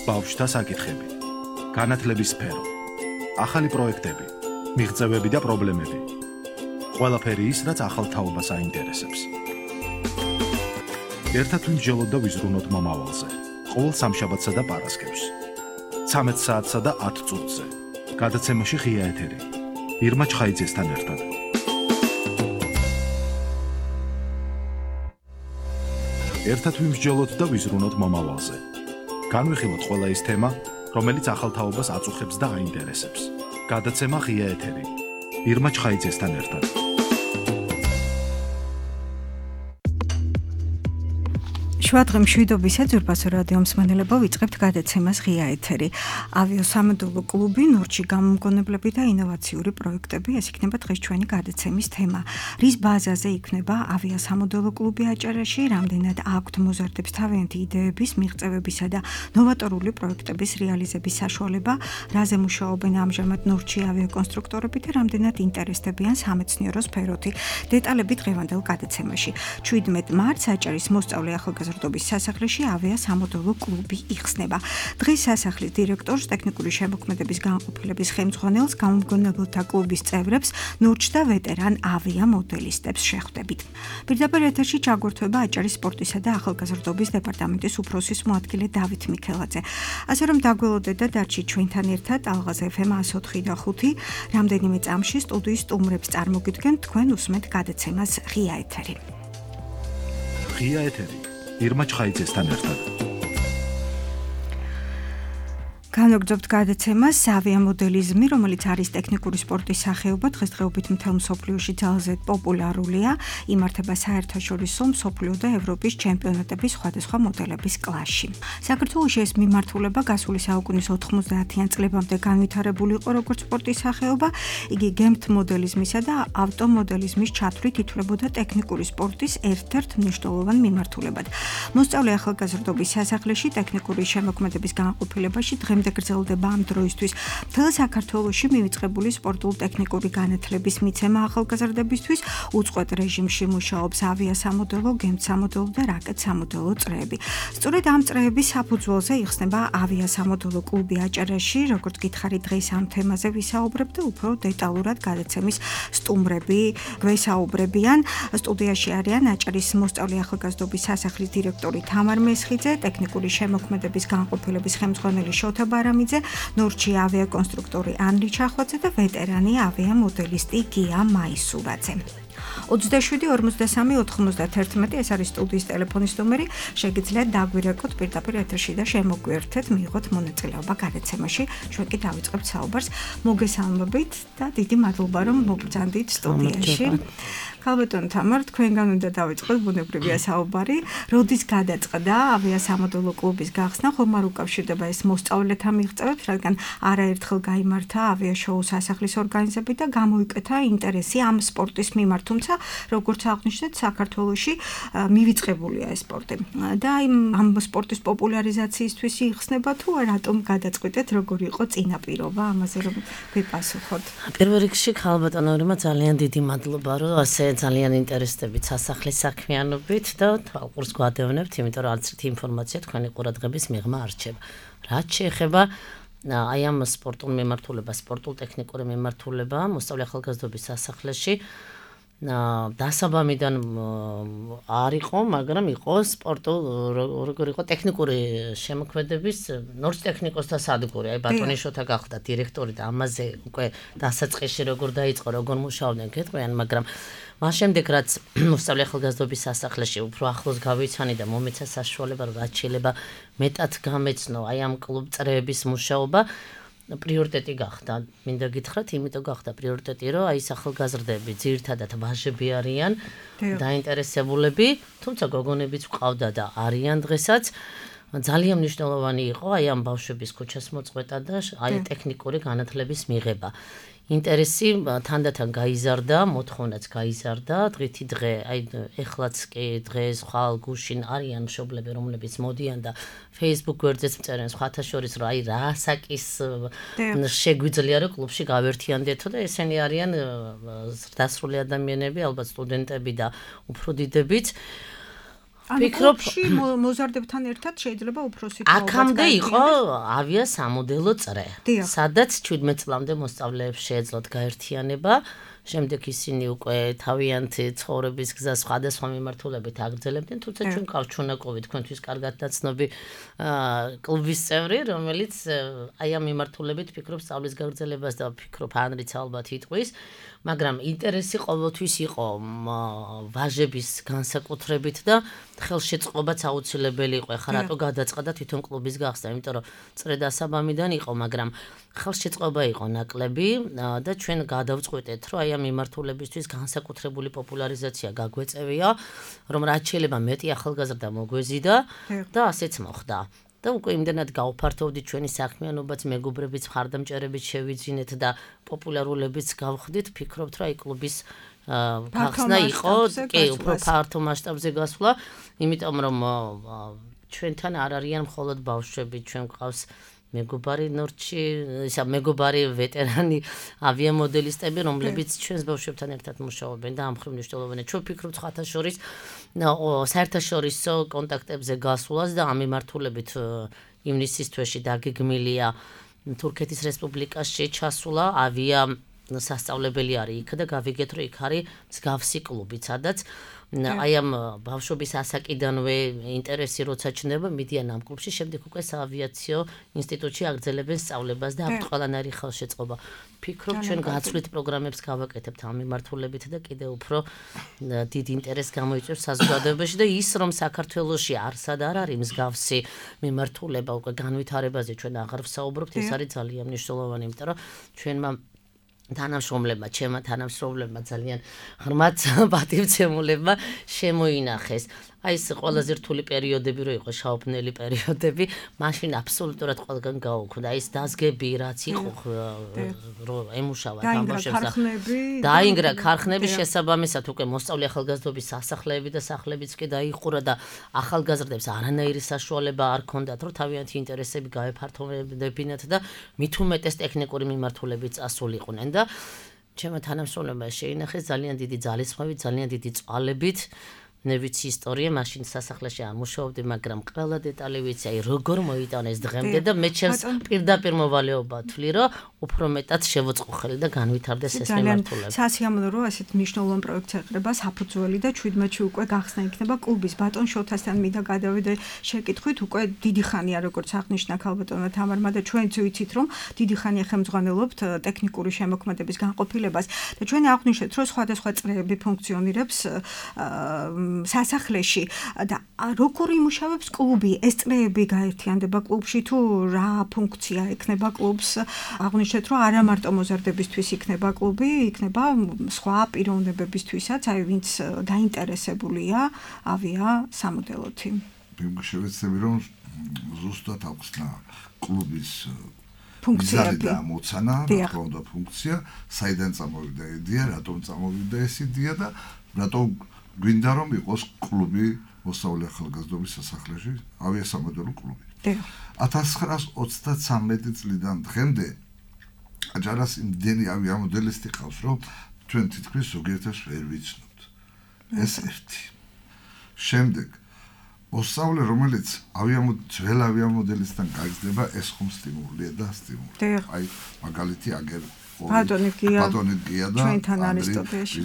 ბავშვთა საკითხები, განათლების სფერო, ახალი პროექტები, მიღწევები და პრობლემები. ყველაფერი ის, რაც ახალ თაობას აინტერესებს. ერთად ვიმსჯელოთ და ვიზრუნოთ მომავალზე. ყოველ სამშაბათსა და პარასკევს. 13 საათსა და 10 წუთზე. გადაცემაში ღია ეთერი. ირმა ჩხაიძესთან ერთად. ერთად ვიმსჯელოთ და ვიზრუნოთ მომავალზე. განვიხილოთ ყველა ის თემა, რომელიც ახალ თაობას აწუხებს და აინტერესებს. გადაცემა ღია ეთერი. ირმა ჩხაიძესთან ერთად. შვადღე მშვიდობის ეძურბასო რადიო მსმენელებო, ვიწყებთ გადაცემას ღია ეთერი. ავიასამოდელო კლუბი, ნორჩი გამომგონებლები და ინოვაციური პროექტები, ეს იქნება დღეს ჩვენი გადაცემის თემა. რის ბაზაზე იქნება ავიასამოდელო კლუბი აჭარაში, რამდენად აქვთ მოზარდებს თავიანთი იდეების, მიღწევებისა და ნოვატორული პროექტების რეალიზების საშუალება, რაზე მუშაობენ ამჟამად ნორჩი ავიაკონსტრუქტორები და რამდენად ინტერესდებიან სამეცნიერო სფეროთი. დეტალები დღევანდელ გადაცემაში. 17 მარტს აჭარის მოსწავლე ახალგაზრდობის სასახლეში ავიასამოდელო კლუბი იხსნება. დღეს სასახლის დირექტორს, ტექნიკური შემოქმედების განყოფილების ხელმძღვანელს, გამომგონებელთა კლუბის წევრებს, ნურჩ და ვეტერან ავიამოდელისტებს შეხვდებით. პირდაპირ ეთერში ჩაგვერთვება აჭარის სპორტისა და ახალგაზრდობის დეპარტამენტის უფროსის მოადგილე დავით მიქელაძე. ასე რომ დაგველოდეთ და დარჩით ჩვენთან ერთად ალღაზ FM 104.5 რამდენიმე წამში სტუდიის სტუმრებს წარმოგიდგენთ, თქვენ უსმენთ გადაცემას ღია ეთერი. ღია ეთერი. ირმა ჩხაიძესთან ერთად. განვაგრძობთ გადაცემას ავიამოდელიზმი, რომელიც არის ტექნიკური სპორტის სახეობა, დღესდღეობით მთელ მსოფლიოში ძალზე პოპულარულია, იმართება საერთაშორისო, მსოფლიო და ევროპის ჩემპიონატების სხვადასხვა მოდელების კლასში. საქართველოში ეს მიმართულება გასული საუკუნის 90-იან წლებამდე განვითარებული იყო როგორც სპორტის სახეობა, იგი გემთ მოდელიზმისა და ავტომოდელიზმის ჩათვლით ითვლებოდა ტექნიკური სპორტის ერთ-ერთ მნიშვნელოვან მიმართულებად. მოსწავლე ახალგაზრდობის სასახლეში ტექნიკური შემოქმედების განყოფილებაში დღემდე გრძელდება ამ დროისთვის მთელ საქართველოში მივიწყებული სპორტულ-ტექნიკური განათლების მიცემა ახალგაზრდებისთვის, უწყვეტ რეჟიმში მუშაობს ავიასამოდელო, გემთსამოდელო და რაკეტსამოდელო წრეები. სწორედ ამ წრეების საფუძველზე იხსნება ავიასამოდელო კლუბი აჭარაში, როგორც გითხარით, დღეს ამ თემაზე ვისაუბრებ და უფრო დეტალურად გადაცემის სტუმრები გვესაუბრებიან. სტუდიაში არიან აჭარის მოსწავლე ახალგაზრდობის სასახლის დირექტორი თამარ მესხიძე, ტექნიკური შემოქმედების განყოფილების ხელმძღვანელი შოთა ბარამიძე, ნორჩი ავიაკონსტრუქტორი ანრი ჩახვაძე და ვეტერანი ავიამოდელისტი გია მაისურაძე. 27-43-91 ეს არის სტუდიის ტელეფონის ნომერი, შეგიძლიათ დაგვირეკოთ პირდაპირ ეთერში და შემოგვიერთეთ, მიიღოთ მონაწილეობა გადაცემაში. ჩვენ კი დავიწყებთ საუბარს. მოგესალმებით და დიდი მადლობა რომ მოგბრძანდით სტუდიაში. ქალბატონ თამარ, თქვენგან უნდა დავიწყოთ ბუნებრივია საუბარი. როდის გადაწყდა ავიასამოდელო კლუბის გახსნა, ხომ არ უკავშირდება ეს მოსწავლეთა მიღწევებს, რადგან არაერთხელ გაიმართა ავიაშოუ სასახლის ორგანიზებით და გამოიკეთა ინტერესი ამ სპორტის მიმართ, თუმცა როგორც აღნიშნეთ, საქართველოში მივიწყებულია ეს სპორტი. და ამ სპორტის პოპულარიზაციისთვის იხსნება თუ რატომ გადაწყვიტეთ, როგორი იყო წინაპირობა, ამაზე რომ გვიპასუხოთ. პირველ რიგში ქალბატონო ირმა, ძალიან დიდი მადლობა, რომ ასე ძალიან ინტერესდებით სასახლის საქმიანობით და თვალყურს გვადევნებთ, იმიტომ რომ არც ერთი ინფორმაცია თქვენი ყურადღების მიღმა არ რჩება. რაც შეეხება აი ამ სპორტულ მიმართულებას, სპორტულ-ტექნიკური მიმართულება, მოსწავლე ახალგაზრდობის სასახლეში დასაბამიდან არ იყო, მაგრამ იყო სპორტულ, როგორ იყო ტექნიკური შემოქმედების ნორჩ ტექნიკოსთა სადგური. აი ბატონი შოთა გახდა დირექტორი და ამაზე უკვე დასაწყისში როგორ დაიწყო, როგორ მუშაობდნენ გეტყვიან, მაგრამ მას შემდეგ რაც მოსწავლე ახალგაზრდობის სასახლეში უფრო ახლოს გავიცანი და მომეცა საშუალება, რაც შეიძლება მეტად გამეცნო აი ამ კლუბ წრეების მუშაობა, პრიორიტეტი გახდა. მინდა გითხრათ, იმიტომ გახდა პრიორიტეტი, რომ აი ახალგაზრდები ძირითადად ვაჟები არიან, დაინტერესებულები, თუმცა გოგონებიც ყავდა და არიან დღესაც. ძალიან მნიშვნელოვანი იყო აი ამ ბავშვების ქუჩას მოწყვეტა და აი ტექნიკური განათლების მიღება. ინტერესი თანდათან გაიზარდა, მოთხოვნაც გაიზარდა, დღითი დღე, აი ეხლაც კი დღეს ხვალ გუშინ არიან მშობლები, რომლებიც მოდიან და Facebook გვერდზეც მწერენ სხვათა შორის, რომ აი რა ასაკის შეგვიძლია რომ კლუბში გავერთიანდეთო და ესენი არიან ზრდასრული ადამიანები, ალბათ სტუდენტები და უფრო დიდებიც. ფიქრობში მოზარდებთან ერთად შეიძლება უფროსი თაობაც აქამდე იყო ავიასამოდელო წრე, სადაც 17 წლამდე მოსწავლეებს შეეძლოთ გაერთიანება. შემდეგ ისინი უკვე თავიანთი ცხოვრების გზას სხვადასხვა მიმართულებით აგრძელებდნენ, თუმცა ჩვენ გვყავს ჩვენაკოვი თქვენთვის კარგად დაცნობი კლუბის წევრი, რომელიც აი ამ მიმართულებით ფიქრობს სწავლის გაგრძელებას და ფიქრობ ანრიც ალბათ იტყვის, მაგრამ ინტერესი ყოველთვის იყო ვაჟების განსაკუთრებით და ხელშეწყობაც აუცილებელი იყო. ეხლა რატო გადაწყდა თვითონ კლუბის გახსნა, იმიტომ რომ წრე დასაბამიდან იყო, მაგრამ ხელშეწყობა იყო ნაკლები და ჩვენ გადავწყვეტეთ, რომ აი ამ მიმართულებისთვის განსაკუთრებული პოპულარიზაცია გაგვეწევია, რომ რაც შეიძლება მეტი ახალგაზრდა მოგვეზიდა და ასეც მოხდა. და უკვე იმდენად გავფართოვდით ჩვენი საქმიანობაც, მეგობრებიც, მხარდამჭერებით შევიძინეთ და პოპულარულებიც გავხდით, ფიქრობთ, რომ აი კლუბის გახსნა იყო, კი, უფრო ფართო მასშტაბზე გასვლა, იმიტომ რომ ჩვენთან არ არიან მხოლოდ ბავშვები, ჩვენ გვყავს მეგობარი ნორჩი, ისა მეგობარი ვეტერანი ავიამოდელისტები, რომლებიც ჩვენს ბავშვებთან ერთად მუშაობენ და ამ მხრივ მნიშვნელოვანია. ჩვენ ვფიქრობთ ხათა შორის საერთაშორისო კონტაქტებზე გასვლას და ამ მიმართულებით ივნისის თვეში დაგეგმილია თურქეთის რესპუბლიკაში ჩასვლა ავია სასწავლებელი არის იქ და გავიგეთ, რომ იქ არის მსგავსი კლუბი, სადაც აი ამ ბავშვობის ასაკიდანვე ინტერესი როცა ჩნდება, მიდიან ამ კლუბში, შემდეგ უკვე საავიაციო ინსტიტუტში აგრძელებენ სწავლებას და აქვთ ყველანაირი ხელშეწყობა. ფიქრობ, ჩვენ გაცვლით პროგრამებს გავაკეთებთ ამ მიმართულებით და კიდევ უფრო დიდ ინტერესს გამოიწვევს საზოგადოებაში და ის რომ საქართველოში არსად არ არის მსგავსი მიმართულება, უკვე განვითარებაზე ჩვენ აღარ ვსაუბრობთ, ეს არის ძალიან მნიშვნელოვანი, იმიტომ რომ ჩვენმა თანამშრომლებმა, ჩემმა თანამშრომლებმა ძალიან ღრმად პატივცემულებმა შემოინახეს. აი ეს ყველაზე რთული პერიოდები რო იყო, შაობნელი პერიოდები, მაშინ აბსოლუტურად ყველგან გაუქმდა. ის დაზგები რაც იყო, რომ ემუშავა თამაშებს და დაინგრა ქარხნები შესაბამისად უკვე მოსწავლე ახალგაზრდობის სასახლეები და სახლებიც კი დაიხურა და ახალგაზრდებს არანაირი საშუალება არ ჰქონდათ, რომ თავიანთი ინტერესები გაეფართოვებინათ და მით უმეტეს ტექნიკური მიმართულებით წასულიყვნენ და ჩემმა თანამშრომლებმა შეინახეს ძალიან დიდი ძალისხმევით, ძალიან დიდი წვალებით. მე ვიცი ისტორია, მაშინ სასახლეში ამუშავებდი, მაგრამ ყველა დეტალი ვიცი, აი როგორ მოიტანეს დღემდე და მე ჩემს პირდაპირ მოვალეობა ვთვლი, რომ უფრო მეტად შევოწყუხელი და განვითარდეს ეს მიმართულება. სასიამოვნო რომ ასეთ მნიშვნელოვან პროექტს ეყრება საფუძველი და 17-ში უკვე გახსნა იქნება კლუბის. ბატონ შოთასთან მინდა გადავიდე შეკითხვით, უკვე დიდი ხანია როგორც აღნიშნა ქალბატონმა თამარმა და ჩვენც ვიცით რომ დიდი ხანია ხელმძღვანელობთ ტექნიკური შემოქმედების განყოფილებას და ჩვენ აღნიშნეთ რომ სხვადასხვა წრეები ფუნქციონირებს სასახლეში და როგორ იმუშავებს კლუბი? ეს წრეები გაერთიანდება კლუბში თუ რა ფუნქცია ექნება კლუბს? აღნიშნეთ რომ არა მარტო მოზარდებისთვის იქნება კლუბი, იქნება სხვა პიროვნებებისთვისაც, აი ვინც დაინტერესებულია ავია სამოდელოთი. შევეცდები რომ ზუსტად აღხსნა კლუბის ფუნქციები და მოცანა, რა თქმა ფუნქცია, საიდან წამოვიდა იდეა, რატომ წამოვიდა ეს იდეა და რატომ გვინდა რომ იყოს კლუბი მოსწავლე ახალგაზრდობის სასახლეში, ავიასამოდელო კლუბი. 1933 წლიდან დღემდე აჯარას იმდენი ავიამოდელისტი ყავს, რომ ჩვენ თითქმის ზოგიერთს ვერ ვიცნობთ. ეს ერთი. შემდეგ მოსწავლე, რომელიც ძველ ავიამოდელისტთან გაიზრდება, ეს ხომ სტიმულია და სტიმული. აი, მაგალითი აგერ ბატონი გია და ჩვენთან არისტოტელეში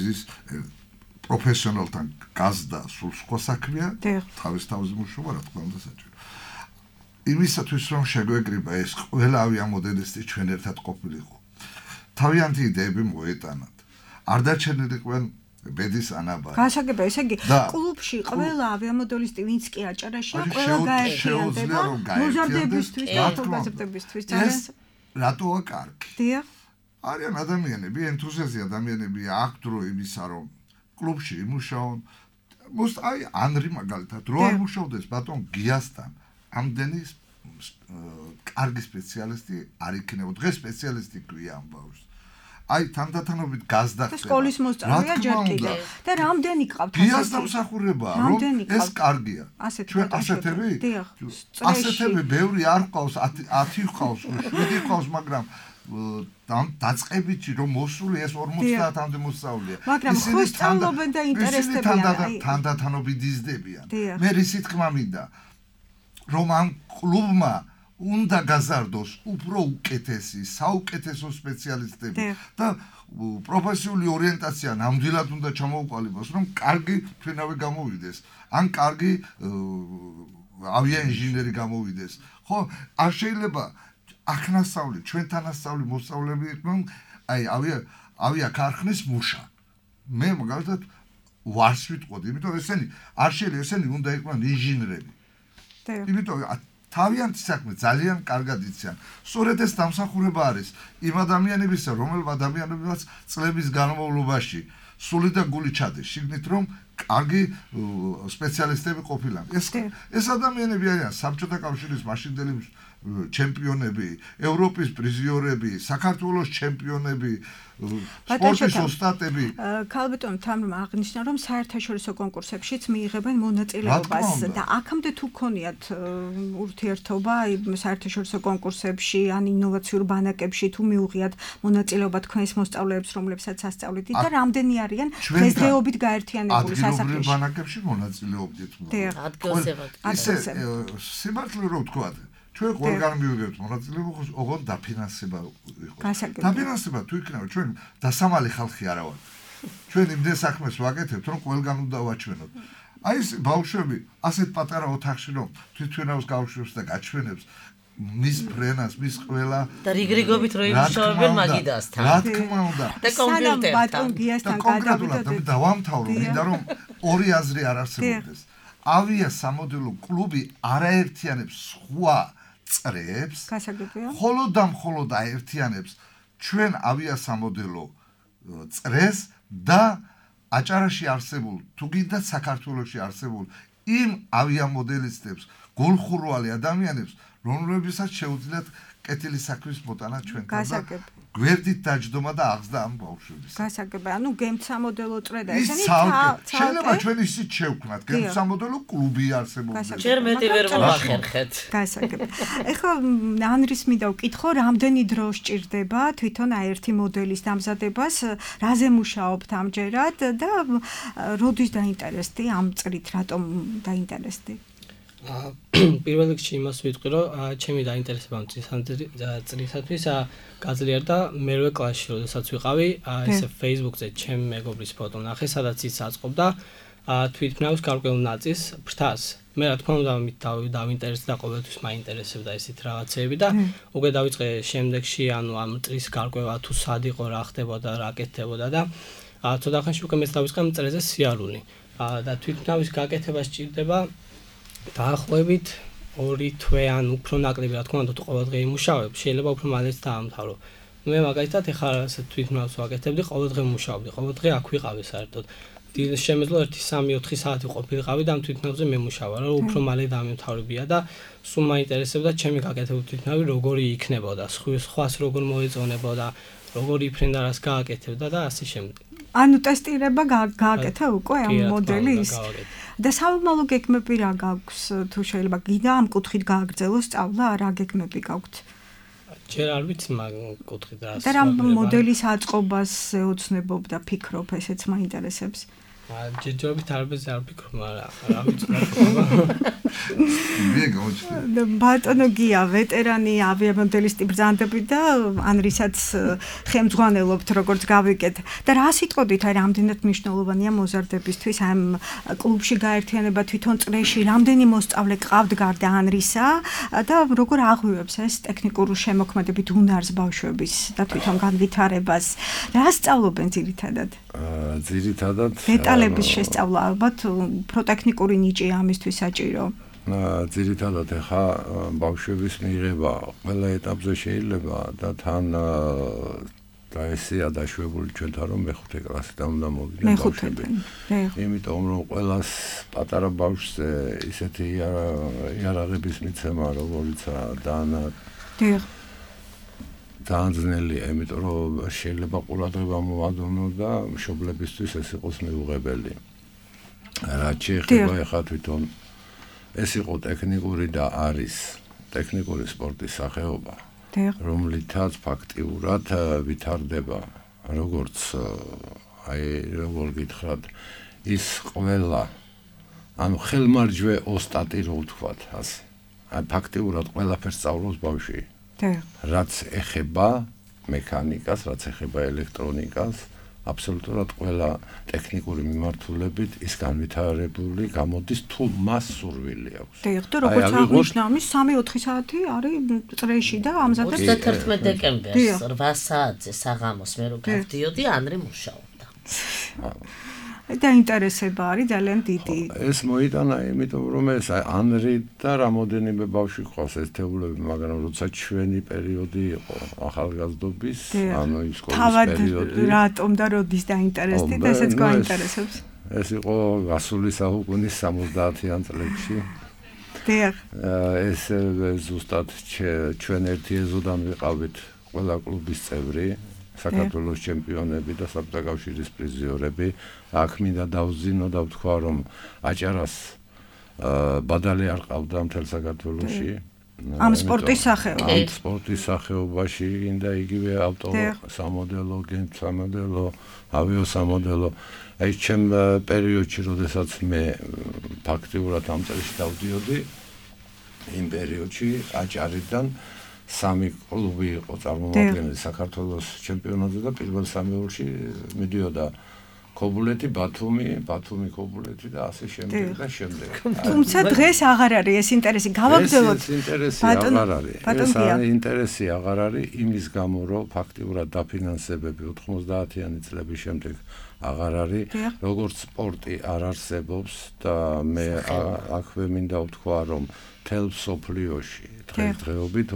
პროფესიონალთან გაზდა სულ სხვა საქმეა, თავის თავზე მუშაობა, რა თქმა უნდა საჭირო. იმისათვის რომ შეგვეკრიბა ეს ყველა ავიამოდელისტი ჩვენ ერთად ყოფილიყო. თავიანთი იდეები მოეტანათ. არ დარჩენილიყვენ ბედის ანაბარი. გასაგება, ესე იგი, კლუბში ყველა ავიამოდელისტი ვინც კი აჭარაშია, ყველა გაერთიანდება მოზარდებისთვის და ახალგაზრდებისთვის. რატოა კარგი? დიახ. არიან ადამიანები, ენთუზიაზი ადამიანები აქვს დრო იმისა, რომ კლუბში იმუშაონ. აი ანრი მაგალითად რო არ მუშაობდეს ბატონ გიასთან, ამდენი კარგი სპეციალისტი არ იქნება. დღეს სპეციალისტი ქვია ამ ბავშვს. აი თანდათანობით გაზდა ხდება. სკოლის მოსწავლეა ჯერ კიდე. და რამდენი გყავთ ასეთი? გიას დამსახურებაა, რომ ეს კარგია. ჩვენ ასეთები? ასეთები ბევრი არ ყავს, 10 ყავს, 7 ყავს, მაგრამ დაწყებითი რომ მოსული ეს 50-მდე მოსწავლეა. მაგრამ ხო სწავლობენ და ინტერესდებიან. თანდათანობით იზრდებიან. მე რისი თქმა მინდა რომ ამ კლუბმა უნდა გაზარდოს უფრო უკეთესი, საუკეთესო სპეციალისტები და პროფესიული ორიენტაცია ნამდვილად უნდა ჩამოუყალიბოს, რომ კარგი ფრინავი გამოვიდეს, ან კარგი ავიაინჟინერი გამოვიდეს. ხო, არ შეიძლება ახნასწავლი, ჩვენთანასწავლი მოსწავლეები იყვნენ, აი ავიაქარხნის მუშა. მე მაგალითად ვარს ვიტყოდი, იმიტომ ესენი არ შეიძლება ესენი უნდა იყვნენ ინჟინრები. იმიტომ თავიანთი საქმე ძალიან კარგად იციან. სწორედ ეს დამსახურება არის იმ ადამიანებისა, რომელთა ადამიანებიც წლების განმავლობაში სული და გული ჩადეს, შიგნით რომ კარგი სპეციალისტები ყოფილან. ეს ადამიანები არიან საბჭოთა კავშირის მაშინდელი ჩემპიონები, ევროპის პრიზიორები, საქართველოს ჩემპიონები, სპორტის ოსტატები. ქალბატონ თამრომ აღნიშნა, რომ საერთაშორისო კონკურსებშიც მიიღებენ მონაწილეობას და აქამდე თუ გქონიათ ურთიერთობა საერთაშორისო კონკურსებში ან ინოვაციურ ბანაკებში თუ მიუღიათ მონაწილეობა თქვენს მოსწავლეებს, რომლებსაც ასწავლეთ და რამდენი არიან დღესდღეობით გაერთიანებული სასახლეში? ადგილობრივ ბანაკებში მონაწილეობდით. სიმართლე რო ვთქვათ, ჩვენ ყველგან მივიღებთ მონაწილეობა, ოღონდ დაფინანსება იყო. დაფინანსება თუ იქნება, ჩვენ დასამალი ხალხი არა ვართ. ჩვენ იმდენ საქმეს ვაკეთებთ, რომ ყველგან უნდა ვაჩვენოთ. აი ეს ბავშვები ასეთ პატარა ოთახში რომ თვითმფრინავს გავშვებს და გაჩვენებს მის ფრენას, მის ყველა და რიგრიგობით რო იმუშავებენ მაგიდასთან. რა თქმა უნდა. და კომპიუტერთან. ბატონ გიასთან გადავიდოდეთ. დავამთავრო, მინდა რომ ორი აზრი არ არსებობდეს. ავია სამოდელო კლუბი არაერთიანებს სხვა წრეებს, ხოლო და მხოლოდ აერთიანებს ჩვენ ავია სამოდელო წრეს და აჭარაში არსებულ, თუ გინდათ საქართველოში არსებულ იმ ავიამოდელისტებს, გულხურვალი ადამიანებს, რომლებსაც შეუძლიათ კეთილი საქმის მოტანა ჩვენთან და გვერდით დაჯდომა და აღზრდა ამ ბავშვების. გასაგებია, ანუ გემთ სამოდელო წრე და ესენი შეიძლება ჩვენ ისიც შევქმნათ, გემთ სამოდელო კლუბი არსებობს. ჯერ მეტი ვერ მოახერხეთ. გასაგებია. ეხლა ანრის მინდა ვკითხო, რამდენი დრო სჭირდება თვითონ აერთი მოდელის დამზადებას, რაზე მუშაობთ ამჯერად და როდის დაინტერესდი ამ წრით, რატომ დაინტერესდი? პირველ რიგში იმას ვიტყვი, რომ ჩემი დაინტერესება ამ წრისათვის გაძლიერდა მერვე კლასში, როდესაც ვიყავი, ესე Facebook-ზე ჩემი მეგობრის ფოტო ნახე, სადაც ის აწყობდა თვითმფრინავის გარკვეულ ნაწილს ფრთას. მე რა თქმა უნდა ამით დავინტერესდი და ყოველთვის მაინტერესებდა ესეთ რაღაცეები და უკვე დავიწყე შემდეგში, ანუ ამ წრის გარკვევა თუ სად იყო, რა ხდებოდა, რა კეთდებოდა და ცოტა ხანში უკვე მეც დავიწყე ამ წრეზე სიარული. და თვითმფრინავის გაკეთება სჭირდება დაახლოებით 2 თვე ან უფრო ნაკლები, რა თქმა უნდა, თუ ყოველდღე იმუშავებ, შეიძლება უფრო მალეც დაამთავრო. მე მაგალითად ეხლა თვითმფრინავს ვაკეთებდი, ყოველდღე მუშაობდი, ყოველდღე აქ ვიყავი საერთოდ. შემეძლო 1-3-4 საათი ყოფილიყავი და ამ თვითმფრინავზე მემუშავა, რომ უფრო მალე დამემთავრებია და სულ მაინტერესებდა ჩემი გაკეთებული თვითმფრინავი როგორი იქნებოდა, სხვას როგორ მოეწონებოდა, როგორი ფრენდა რას გააკეთებდა და ასე შემდეგ. ანუ ტესტირება გააკეთა უკვე ამ მოდელის და საომალო გეგმები რა გაქვს, თუ შეიძლება გინდა ამ კუთხით გააგრძელოს სწავლა, რა გეგმები გაქვთ? ჯერ არ ვიცი მაგ კუთხით რა. და რა მოდელის აწყობას ეოცნებობ და ფიქრობ, ესეც მაინტერესებს. ჯერჯერობით არბეზე არ ვფიქრობ, მაგრამ რა ვიცი რა ხდება. ბატონო გია, ვეტერანი ავიამოდელისტი ბრძანდები და ანრისაც ხელმძღვანელობთ, როგორც გავიგეთ. და რა სიტყვით, აი რამდენად მნიშვნელოვანია მოზარდებისთვის ამ კლუბში გაერთიანება თვითონ წრეში, რამდენი მოსწავლე ყავთ გარდა ანრისა და როგორ აღვივებს ეს ტექნიკური შემოქმედებით უნარს ბავშვების და თვითონ განვითარებას. რა სწავლობენ ძირითადად? ძირითადად დეტალების შესწავლა ალბათ უფრო ტექნიკური ნიჭი ამისთვის საჭირო. ძირითადად ახლა ბავშვების მიღება ყველა ეტაპზე შეიძლება და თან და ესეა დაშვებული ჩვენთან რომ მეხუთე კლასიდან უნდა მოვიდნენ ბავშვები. იმიტომ რომ ყველას პატარა ბავშვზე ისეთი იარაღების მიცემა როგორიცაა ძალიან ძნელია, იმიტომ რომ შეიძლება ყურადღება მოვადოვნო და მშობლებისთვის ეს იყოს მიუღებელი. რაც შეეხება ახლა თვითონ ეს იყო ტექნიკური და არის ტექნიკური სპორტის სახეობა. რომლითაც ფაქტიურად ვითარდება როგორც როგორ გითხრათ ის ყველა ანუ ხელმარჯვე ოსტატი რო ვთქვათ ასე ფაქტიურად ყველაფერს სწავლობს ბავშვი რაც ეხება მექანიკას რაც ეხება ელექტრონიკას აბსოლუტურად ყველა ტექნიკური მიმართულებით ის განვითარებული გამოდის თუ მას სურვილი აქვს. და როგორც აღნიშნა, 3-4 საათი არის წრეში და ამზადებს 31 დეკემბერს 8 საათზე საღამოს მე რო გავდიოდი, ანრი მუშაობდა. დაინტერესება არის ძალიან დიდი. ეს მოიტანა იმიტომ რომ ეს ანრი და რამოდენიმე ბავშვი ყავს ერთეულები, მაგრამ როცა ჩვენი პერიოდი იყო ახალგაზრდობის, ანუ ის სკოლის პერიოდი. რატომ და როდის დაინტერესდი და ესეც გაინტერესებს? ეს იყო გასული საუკუნის 70-იან წლებში. დიახ. ეს ზუსტად ჩვენ ერთი ეზოდან ვიყავით ყველა კლუბის წევრი. საქართველოს ჩემპიონები და საბჭოთა კავშირის პრიზიორები აქ მინდა დავზინო და ვთქვა რომ აჭარას ბადალი არ ყავდა მთელ საქართველოში ამ სპორტის სახეობაში ამ სპორტის სახეობაში და იგივე ავტო სამოდელო გემსამოდელო ავიოსამოდელო აი ჩემ პერიოდში როდესაც მე ფაქტიურად ამ წელში დავდიოდი იმ პერიოდში აჭარიდან 3 კლუბი იყო წარმომადგენელი საქართველოს ჩემპიონატზე და პირველ სამეულში მიდიოდა ქობულეთი, ბათუმი, ქობულეთი და ასე შემდეგ და შემდეგ. თუმცა დღეს აღარ არის ეს ინტერესი. გავაგრძელოთ. ეს ინტერესი აღარ არის. ეს ინტერესი აღარ არის იმის გამო, რომ ფაქტიურად დაფინანსებები 90-იანი წლების შემდეგ აღარ არის. როგორც სპორტი არ არსებობს და მე აქვე მინდა ვთქვა, რომ თელ სოფლიოში დღესდღეობით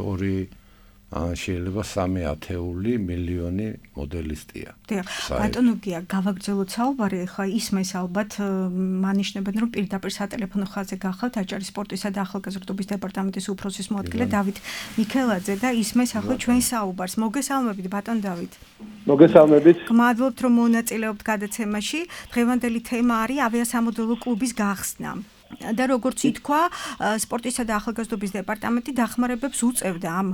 შეიძლება 3 ათეული მილიონი მოდელისტია. ბატონო გია, გავაგრძელოთ საუბარი, ხა ისმეს ალბათ მანიშნებენ, რომ პირდაპირ სატელეფონო ხაზზე გახავთ აჭარის სპორტისა და ახალგაზრდობის დეპარტამენტის უფროსის მოადგილე დავით მიქელაძე და ისმეს ახლა ჩვენ საუბარს. მოგესალმებით ბატონ დავით. მოგესალმებით. გმადლობთ რომ მონაწილეობთ გადაცემაში. დღევანდელი თემა არის ავიასამოდელო კლუბის გახსნა. და როგორც ითქვა, სპორტისა და ახალგაზრდობის დეპარტამენტი დახმარებებს უწევდა ამ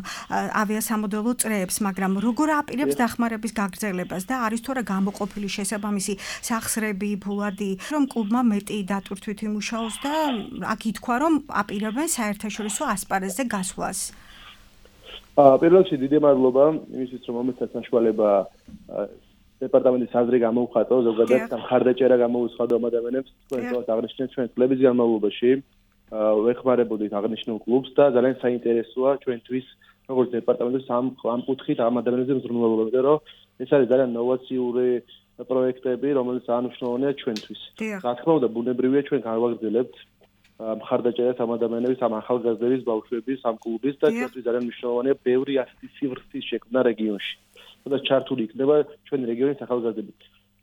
ავიასამოდელო წრეებს, მაგრამ როგორ აპირებს დახმარების გაგრძელებას და არის თუ არა გამოყოფილი შესაბამისი სახსრები, ფულადი, რომ კლუბმა მეტი დატვირთვით იმუშაოს და აქ ითქვა, რომ აპირებენ საერთაშორისო ასპარეზზე გასვლას. პირველ რიგში დიდი მადლობა იმისთვის, რომ მომეცათ საშუალება დეპარტამენტის აზრი გამოუხატო, ზოგადად მხარდაჭერა გამოუცხადო ამ ადამიანებს, თქვენ აღნიშნეთ ჩვენ კლუბის განმავლობაში, ვეხმარებოდით აღნიშნულ კლუბს და ძალიან საინტერესოა ჩვენთვის, როგორც დეპარტამენტის ამ კუთხით ამ ადამიანებზე მზრუნველობა, იმიტომ რომ ეს არის ძალიან ნოვაციური პროექტები, რომელიც ანიშნავია ჩვენთვის. რა თქმა უნდა, ბუნებრივია ჩვენ გავაგრძელებთ მხარდაჭერას ამ ადამიანების, ამ ახალგაზრდების, ბავშვების, ამ კლუბის და ჩვენთვის ძალიან მნიშვნელოვანია ბევრი ასეთი სივრცის შექმნა რეგიონში. და ჩართული იქნება ჩვენი რეგიონის ახალგაზრდები.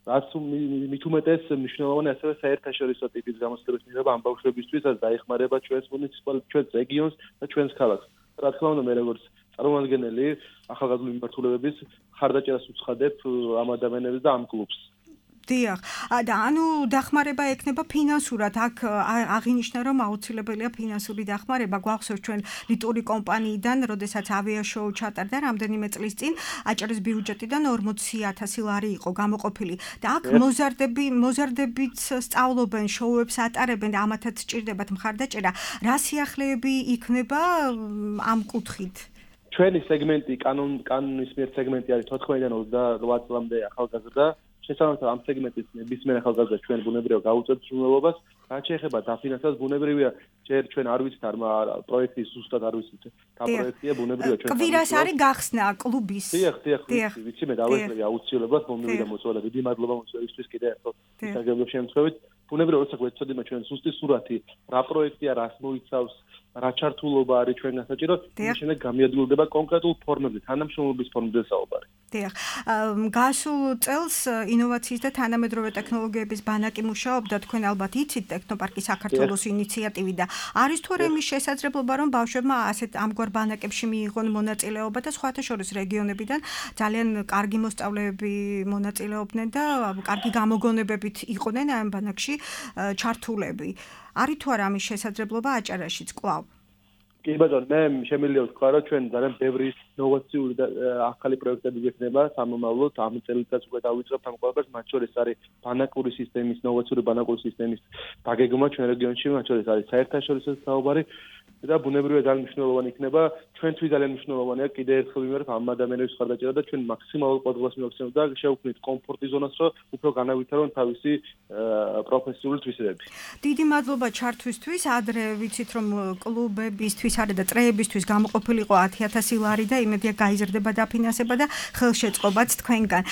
რაც მით უმეტეს მნიშვნელოვანია ასევე საერთაშორისო ტიპის გამოცდილების მიღება ამ ბავშვებისთვის, რაც დაეხმარება ჩვენს მუნიციპალიტეტს, ჩვენს რეგიონს და ჩვენს ქალაქს. რა თქმა უნდა, მე როგორც წარმომადგენელი ახალგაზრდული მიმართულებების მხარდაჭერას უცხადებ ამ ადამიანებს და ამ კლუბს. დიახ, და ანუ დახმარება ექნება ფინანსურად. აქ აღინიშნა, რომ აუცილებელია ფინანსური დახმარება. გვახსოვს ჩვენ ლიტური კომპანიიდან, როდესაც ავიაშოუ ჩატარდა რამდენიმე წლის წინ, აჭარის ბიუჯეტიდან 40,000 ლარი იყო გამოყოფილი. და აქ მოზარდებით სწავლობენ, შოუებს ატარებენ და ამათაც სჭირდებათ მხარდაჭერა. რა სიახლეები იქნება ამ კუთხით? ჩვენი სეგმენტი, კანონის მიერ სეგმენტი არის 14-დან 28 წლამდე ახალგაზრდა. შესაბამისად ამ სეგმენტის ნებისმიერ ახალგაზრდა ჩვენ ბუნებრივია გაუწევთ სრულელობას, რაც შეეხება დაფინანსებას ბუნებრივია ჯერ ჩვენ არ ვიცით პროექტის ზუსტად არ ვიცით რა პროექტია ბუნებრივია ჩვენ კვირას არის გახსნა კლუბის. დიახ, ვიცი მე დავესწრები აუცილებლად მომივიდა მოწვევა დიდი მადლობა მოწვევისთვის კიდევ ერთხელ ისაგებო შემთხვევით ბუნებრივია როცა გვეცოდება ჩვენ ზუსტი სურათი რა პროექტია რას მოიცავს რა ჩართულობა არის ჩვენგან საჭირო შემდეგ გამიადგილდება კონკრეტულ ფორმებზე თანამშრომლობის ფორმებზე საუბარი. დიახ, გასულ წელს ინოვაციის და თანამედროვე ტექნოლოგიების ბანაკი მუშაობდა, თქვენ ალბათ იცით ტექნოპარკი საქართველოს ინიციატივი და არის თუ არა იმის შესაძლებლობა, რომ ბავშვებმა ასეთ ამგვარ ბანაკებში მიიღონ მონაწილეობა და სხვათა შორის რეგიონებიდან ძალიან კარგი მოსწავლეები მონაწილეობდნენ და კარგი გამოგონებებით იყვნენ ამ ბანაკში ჩართულები. არის თუ არა ამის შესაძლებლობა აჭარაშიც კვლავ? კი ბატონო, მე შემიძლია ვთქვა, რომ ჩვენ ძალიან ბევრი ინოვაციური და ახალი პროექტები გვექნება სამომავლოდ. ამ წელიწადს უკვე დავიწყებთ ამ ყველაფერს, მათ შორის არის ბანაკური სისტემის, ინოვაციური ბანაკური სისტემის დაგეგმვა ჩვენ რეგიონში, მათ შორის არის საერთაშორისო საუბარი და ბუნებრივად ძალიან მნიშვნელოვანი იქნება. ჩვენთვის ძალიან მნიშვნელოვანია კიდე ერთხელ ვიმეორებ ამ ადამიანების ხარდაჭერა და ჩვენ მაქსიმალურ ყოველდღიურ მივაქცევთ და შევქმნით კომფორტი ზონას, რომ უფრო განავითარონ თავისი პროფესიული თვისებები. დიდი მადლობა ჩართვისთვის. ადრე ვიცით რომ კლუბებისთვის არის და წრეებისთვის გამოყოფილიყო 10,000 ლარი და იმედია გაიზრდება დაფინანსება და ხელშეწყობაც თქვენგან.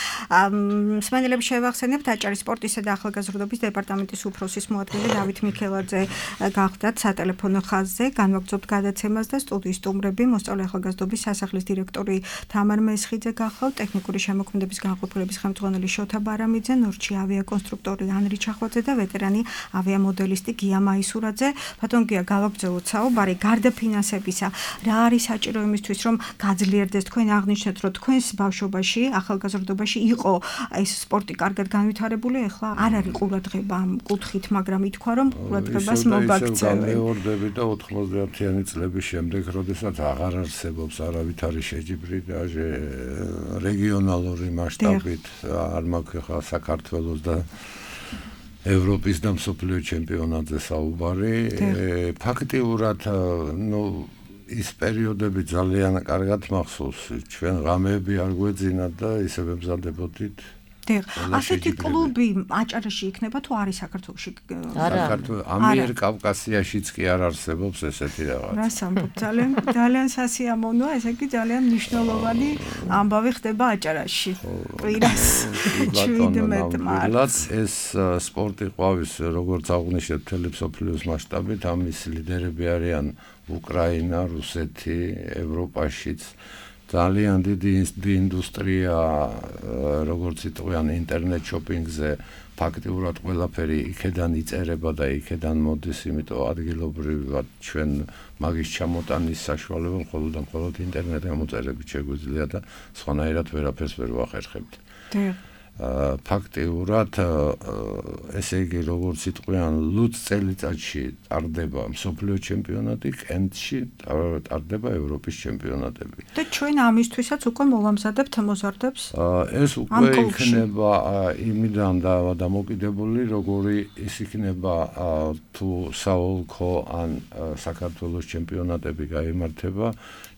მსმენელებს შევახსენებთ აჭარის სპორტისა და ახალგაზრდობის დეპარტამენტის უფროსის მოადგილე დავით მიქელაძე გახდათ სატელეფონო ხაზზე. განვაგრძობთ გადაცემას და სტუდიის სტუმრები მოსწავლე ახალგაზრდობის სასახლის დირექტორი თამარ მესხიძე გახავთ, ტექნიკური შემოქმედების განყოფილების ხელმძღვანელი შოთა ბარამიძე, ნორჩი ავიაკონსტრუქტორი ანრი ჩახვაძე და ვეტერანი ავიამოდელისტი გია მაისურაძე. ბატონ გია, გავაგრძელოთ საუბარი გარდა ფინანსებისა. რა არის საჭირო იმისთვის, რომ გაძლიერდეს? თქვენ აღნიშნეთ, რომ თქვენს ბავშვობაში, ახალგაზრდობაში იყო ეს სპორტი კარგად განვითარებული, ეხლა არ არის ყურადღება ამ კუთხით, მაგრამ ითქვა, რომ ყურადღებას მოგაქცევენ. მეორდები და 90-იანი წლების შემდეგ, როდესაც აღარ არსებობს არავითარი შეჯიბრიდაჟე რეგიონალური მასშტაბით, არ მაქვს ხა საქართველოს და ევროპის და მსოფლიო ჩემპიონატზე საუბარი. ფაქტიურად, ის პერიოდები ძალიან კარგად მახსოვს. ჩვენ ღამეები არ გვეძინათ და ისე ვემზადებოდით. ასეთი კლუბი აჭარაში იქნება თუ არის საქართველოში? საქართველოს ამიერკავკასიაშიც კი არ არსებობს ესეთი რაღაც. რას ამბობ? ძალიან სასიამოვნოა, ესე იგი ძალიან მნიშვნელოვანი ამბავი ხდება აჭარაში. კვირას 17 მარტს ეს სპორტი ყვავის, როგორც აღნიშნეთ, მთელი მსოფლიოს მასშტაბით, ამის ლიდერები არიან უკრაინა, რუსეთი, ევროპაშიც. ძალიან დიდი ინდუსტრია, როგორც იტყვიან, ინტერნეტ შოპინგზე ფაქტიურად ყველაფერი იქედან იწერება და იქედან მოდის, იმიტომ ადგილობრივად ჩვენ მაგის ჩამოტანის საშუალება მხოლოდ ინტერნეტ გამოწერებით შეგვიძლია და სხვანაირად ვერაფერს ვერ ვახერხებთ. ფაქტიურად ესე იგი, როგორც იტყვიან, ლუც წელიწადში ტარდება მსოფლიო ჩემპიონატი, კენტში ტარდება ევროპის ჩემპიონატები. და ჩვენ ამისთვისაც უკვე მოვამზადებთ მოზარდებს? ეს უკვე იქნება იმიდან დამოკიდებული, როგორი ის იქნება თუ საოლქო ან საქართველოს ჩემპიონატები გაიმართება.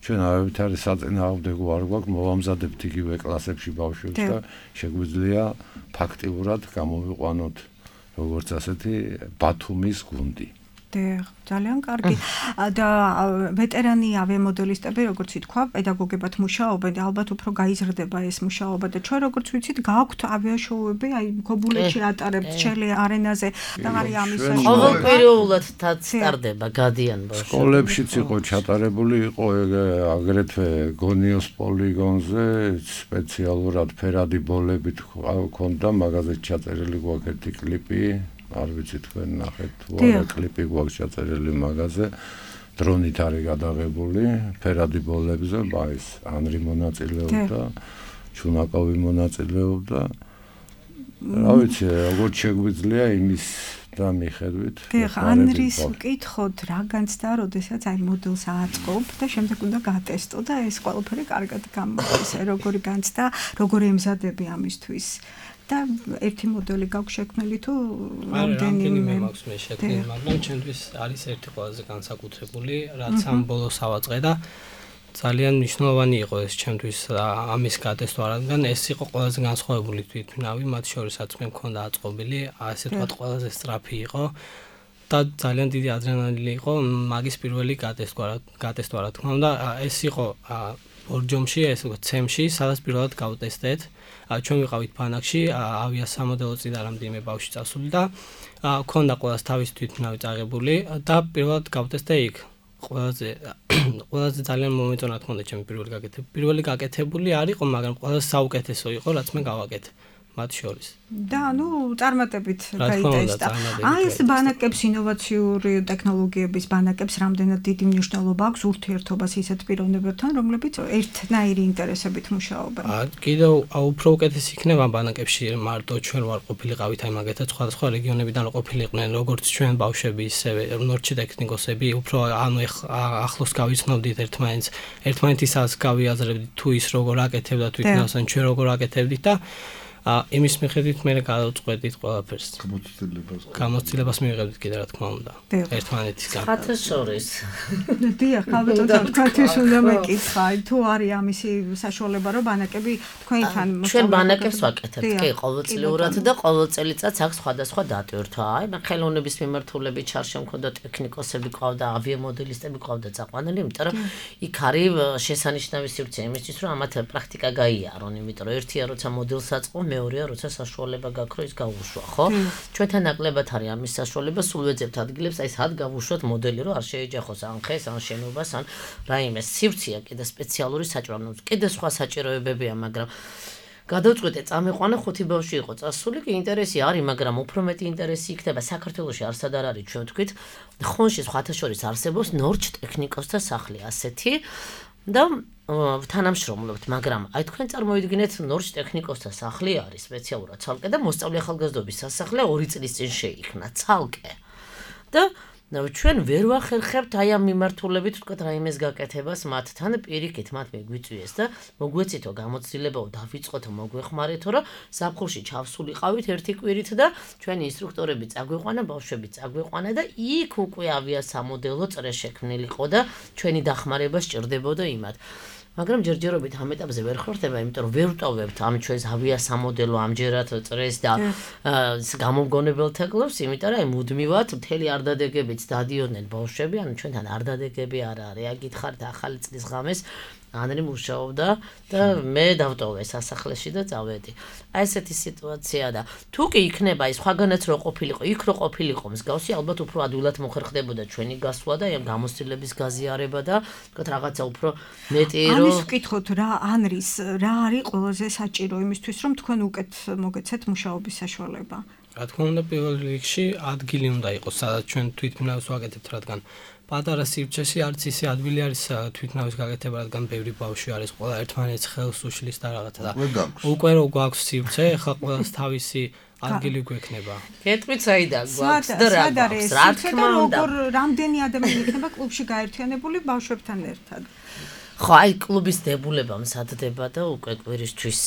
ჩვენ არავითარი საწინააღმდეგო არ გვაქვს, მოვამზადებთ იგივე კლასებში ბავშვებს და შეგვიძლია ფაქტიურად გამოვიყვანოთ როგორც ასეთი ბათუმის გუნდი. ძალიან კარგი. და ვეტერანი ავიამოდელისტები, როგორც ითქვა, პედაგოგებად მუშაობენ, ალბათ უფრო გაიზრდება ეს მუშაობა და ჩვენ როგორც ვიცით, გაქვთ ავიაშოუები, აი გობულეთში ატარებთ ჩელე არენაზე და არის ამის ყოველკვირეულად ტარდება, გადიან ბავშვები. სკოლებშიც იყო ჩატარებული, იყო აგრეთვე გონიოს პოლიგონზე სპეციალურად ფერადი ბოლებით ჰქონდა, მაგაზე ჩაწერილი გვაქვს ერთი კლიპი. არ ვიცი თქვენ ნახეთ თუ არა კლიპი გვაქვს ჩაწერილი მაგაზე, დრონით არის გადაღებული ფერადი ბოლებზე, ის ანრი მონაწილეობდა, ჩუნაკოვი მონაწილეობდა. რა ვიცი, როგორც შეგვიძლია იმის და მიხედვით. ანრის ვკითხოთ რა განცდა, როდესაც აი მოდელს აწყობ და შემდეგ უნდა გატესტო და ეს ყველაფერი კარგად გამოდის, როგორი განცდა, როგორი ემზადები ამისთვის. და ერთი მოდელი გაქვს შექმნილი თუ რამდენიმე მაქვს მე შექმნილი, მაგრამ ჩვენთვის არის ერთი ყველაზე განსაკუთრებული, რაც ამ ბოლოს ავაწყე და ძალიან მნიშვნელოვანი იყო ეს ჩემთვის ამის გატესტვა, რადგან ეს იყო ყველაზე განსხვავებული თვითმფრინავი, მათ შორისაც მე მქონდა აწყობილი, ასე ვთქვათ, ყველაზე სწრაფი იყო და ძალიან დიდი ადრენალინი იყო მაგის პირველი გატესტვა, რა თქმა უნდა, ეს იყო ორჯომში, ეს უკვე ცემში, სადაც პირველად გავტესტეთ. ჩვენ ვიყავით ბანაკში, ავიასამოდელო წინ რამდენიმე ბავშვი წასული და ქონდა ყველას თავის თვითმფრინავი წაღებული და პირველად გავტესტე იქ. ყველაზე ძალიან მომეწონა თქონდა ჩემი პირველი გაკეთებული არ იყო, მაგრამ ყველაზე საუკეთესო იყო, რაც მე გავაკეთე. მათ შორის. და წარმატებით გაიტესტა. აი ეს ბანაკებს ინოვაციური ტექნოლოგიების ბანაკებს რამდენად დიდი მნიშვნელობა აქვს ურთიერთობას ისეთ პიროვნებებთან, რომლებიც ერთნაირი ინტერესებით მუშაობენ. კიდევ უფრო უკეთესი იქნება ბანაკებში მარტო ჩვენ ვარ ყოფილიყავით აი მაგათაც სხვადასხვა რეგიონებიდან ყოფილიყვნენ როგორც ჩვენ ბავშვები ისევე ნორჩი ტექნიკოსები უფრო ახლოს გავიცნობდით ერთმანეთისას გავიაზრებდით თუ ის როგორ აკეთებდა თვითონაც ან ჩვენ როგორ აკეთებდით და იმის მიხედვით მე გადავწყვეტით ყველაფერს. გამოცდილებას მივიღებდით კიდე რა თქმა უნდა. ერთმანეთისგან. ხათა შორის. დიახ, ალბათ თქვენთვის უნდა მეკითხა, თუ არის ამისი საშუალება, რომ ბანაკები თქვენთან ჩვენ ბანაკებს ვაკეთებთ, კი, ყოველწლიურად და ყოველ წელიწადს აქვს სხვადასხვა დატვირთვა. აი, ხელოვნების მიმართულებით ჩარშე მქონდა ტექნიკოსები ყავდა, ავიამოდელისტები ყავდა წაყვანილი, იმიტომ რომ იქ არის შესანიშნავი სივრცე იმისთვის, რომ ამათ პრაქტიკა გაიარონ, იმიტომ რომ ერთია როცა მოდელს აწყო მეორეა როცა საშუალება გაქვს რომ ის გავუშვა, ხო? ჩვენთან ნაკლებად არის ამის საშუალება, სულ ვეძებთ ადგილებს, აი სად გავუშვათ მოდელი, რომ არ შეეჯახოს ან ხეს, ან შენობას, ან რაიმე სივრცეა კიდე სპეციალური საჭიროებები. კიდე სხვა საჭიროებებია, მაგრამ გადავწყვეტე წამეყვანა 5 ბავშვი იყო წასული, კი ინტერესი არის, მაგრამ უფრო მეტი ინტერესი იქნება საქართველოში არსად არ არის, ჩვენ ვთქვით, ხონში სხვათა შორის არსებობს ნორჩ ტექნიკოსთა სახლი ასეთი და თანამშრომლობთ, მაგრამ აი თქვენ წარმოიდგინეთ ნორჩ ტექნიკოსთა სახლი არის სპეციალურად ცალკე და მოსწავლე ახალგაზრდობის სასახლე 2 წლის წინ შეიქმნა ცალკე. და ჩვენ ვერ ვახერხებთ აი ამ მიმართულებით თქვა რაიმეს გაკეთებას მათთან პირიქით მათ მეგვიწვიეს და მოგვეცითო გამოცდილებაო დავიწყოთ მოგვეხმარეთო რომ ზაფხულში ჩავსულიყავით ერთი კვირით და ჩვენი ინსტრუქტორები წაგვიყვანა ბავშვები წაგვიყვანა და იქ უკვე ავიასამოდელო წრე შექმნილიყო და ჩვენი დახმარება სჭირდებოდა იმათ. მაგრამ ჯერჯერობით ამ ეტაპზე ვერ ხვერდება, იმიტომ რომ ვერ ვტოვებთ ამ ჩვენს ავიასამოდელო ამჯერად წრეს და გამომგონებელთა კლუბს, იმიტომ რომ აი მუდმივად მთელი არდადეგებით დადიოდნენ ბავშვები, ანუ ჩვენთან არდადეგები არ არის, აგითხართ ახალი წლის ღამეს ანრი მუშაობდა და მე დავტოვე სასახლეში და წავედი. აი ესეთი სიტუაცია და თუ კი იქნება ის სხვაგანაც რო ყოფილიყო, იქ რო ყოფილიყო მსგავსი, ალბათ უფრო ადვილად მოხერხდებოდა ჩვენი გასვლა და ამ გამოცდილების გაზიარება და თქვა რაღაცა უფრო მეტი რო ამის ვკითხოთ რა ანრის რა არის ყველაზე საჭირო იმისთვის რომ თქვენ უკეთ მოგეცეთ მუშაობის საშუალება. რა თქმა უნდა პირველ რიგში ადგილი უნდა იყოს, სადაც ჩვენ თვითმფრინავს ვაკეთებთ, რადგან პატარა სივრცეში არც ისე ადვილი არის თვითმფრინავის გაკეთება, რადგან ბევრი ბავშვი არის, ყველა ერთმანეთს ხელს უშლის და რაღაცა და უკვე რო გვაქვს სივრცე, ახლა ყველას თავისი ადგილი გვექნება. გეტყვით საიდან გვაქვს და რა გვაქვს, რა თქმა უნდა. რამდენი ადამიანი იქნება კლუბში გაერთიანებული ბავშვებთან ერთად? ხო, აი კლუბის დებულება მსადდება და უკვე კვირისთვის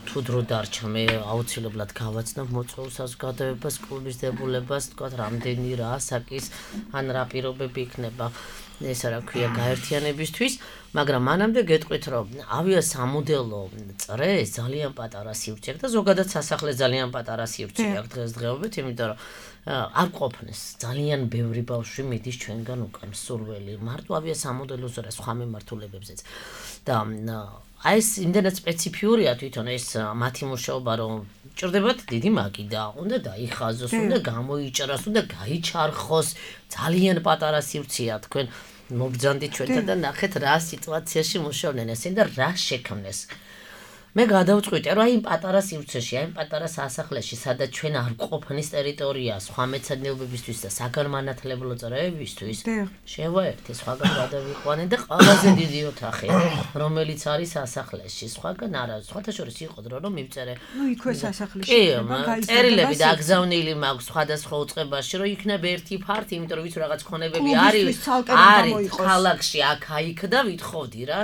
თუ დრო დარჩა მე აუცილებლად გავაცნობ მოწვეულ საზოგადოებას კლუბის დებულებას, თქვა რამდენი რა ასაკის ან რა პირობები იქნება ესა რა ქვია გაერთიანებისთვის, მაგრამ მანამდე გეტყვით რომ ავიასამოდელო წრე ძალიან პატარა სივრცე აქვს და ზოგადად სასახლე ძალიან პატარა სივრცე აქვს დღესდღეობით, იმიტომ რომ არ ყოფნეს ძალიან ბევრი ბავშვი მიდის ჩვენგან უკან სურველი მარტო ავიასამოდელოზე რა სხვა მიმართულებებზეც და აი ეს იმდენად სპეციფიურია თვითონ ეს მათი მუშაობა რომ ჭირდებათ დიდი მაგიდა უნდა დაიხაზოს უნდა გამოიჭრას უნდა გაიჩარხოს ძალიან პატარა სივრცეა თქვენ მოგძანდით ჩვენთან და ნახეთ რა სიტუაციაში მუშაობდნენ ესენ და რა შექმნეს მე გადავწყვიტე რომ აი იმ პატარა სივრცეში, აი იმ პატარა სასახლეში, სადაც ჩვენ არ ყოფნის ტერიტორია სხვა მეცადინეობებისთვის და საგანმანათლებლო წრეებისთვის, შევაერთე სხვაგან გადავიყვანე და ყველაზე დიდი ოთახი, რომელიც არის სასახლეში, სხვაგან არა, სხვათა შორის იყო დრო რომ მივწერე. ნუ იქვე სასახლეში. კი, წერილები დაგზავნილი მაქვს სხვადასხვა უწყებაში, რომ იქნება ერთი ფარტი, იმიტომ რომ ვიცი რაღაც ქონებები არის ქალაქში, აქ-აიქ და ვითხოვდი რა,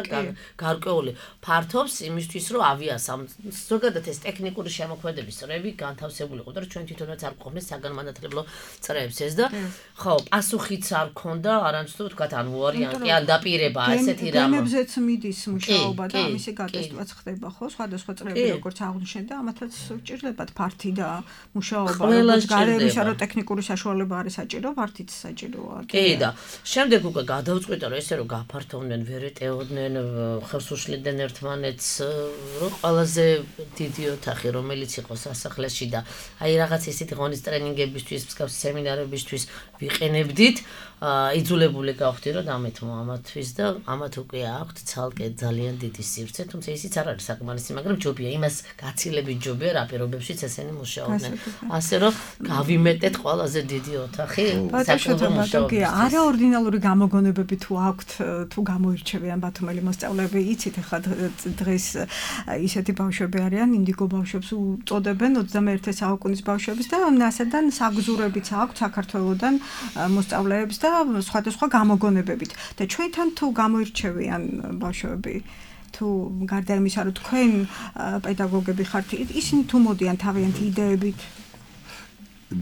გარკვეული ფართობს იმისთვის რომ ზოგადად ეს ტექნიკური შემოქმედების წრეები განთავსებული იყო და ჩვენ თვითონაც არ გვყოლეს საგანმანათლებლო წრეებს ეს და ხო პასუხიც არ ქონდა არამცდო თქვათ ან ვარიანტი ან დაპირება ესეთი რამ გემებზეც მიდის მუშაობა და ამისი გატესტვაც ხდება ხო სხვადასხვა წრეები როგორც აღნიშნეთ და ამათაც სჭირდებათ ფართი და მუშაობა როგორც გარემოისა რომ ტექნიკური საშუალება არის საჭირო ფართიც საჭიროა კი და შემდეგ უკვე გადავწყვიტე რომ ესე რომ გაფართოვდნენ ვერ ეტეოდნენ ხელს უშლიდნენ ერთმანეთს რომ ყველაზე დიდი ოთახი, რომელიც იყო სასახლეში და აი რაღაც ისეთი ღონის ტრენინგებისთვის, მსგავსი სემინარებისთვის ვიყენებდით, იძულებული გავხდი რომ დამეთმო ამათთვის და ამათ უკვე აქვთ ცალკე ძალიან დიდი სივრცე, თუმცა ისიც არ არის საკმარისი, მაგრამ ჯობია, იმას გაცილებით ჯობია რა პირობებშიც ესენი მუშაობდნენ. ასე რომ გავიმეტეთ ყველაზე დიდი ოთახი საკუთარ მუშაობისთვის. არაორდინალური გამოგონებები თუ აქვთ, თუ გამოირჩევიან ბათუმელი მოსწავლეები, იცით ახლა დღეს ისეთი ბავშვები არიან, ინდიგო ბავშვებს უწოდებენ 21 საუკუნის ბავშვებს და ასედან საგზურებიც აქვთ საქართველოსდან მოსწავლეებს და სხვადასხვა გამოგონებებით. და ჩვენთან თუ გამოირჩევიან ბავშვები, თუ გარდა იმისა, რომ თქვენ პედაგოგები ხართ, ისინი თუ მოდიან თავიანთი იდეებით?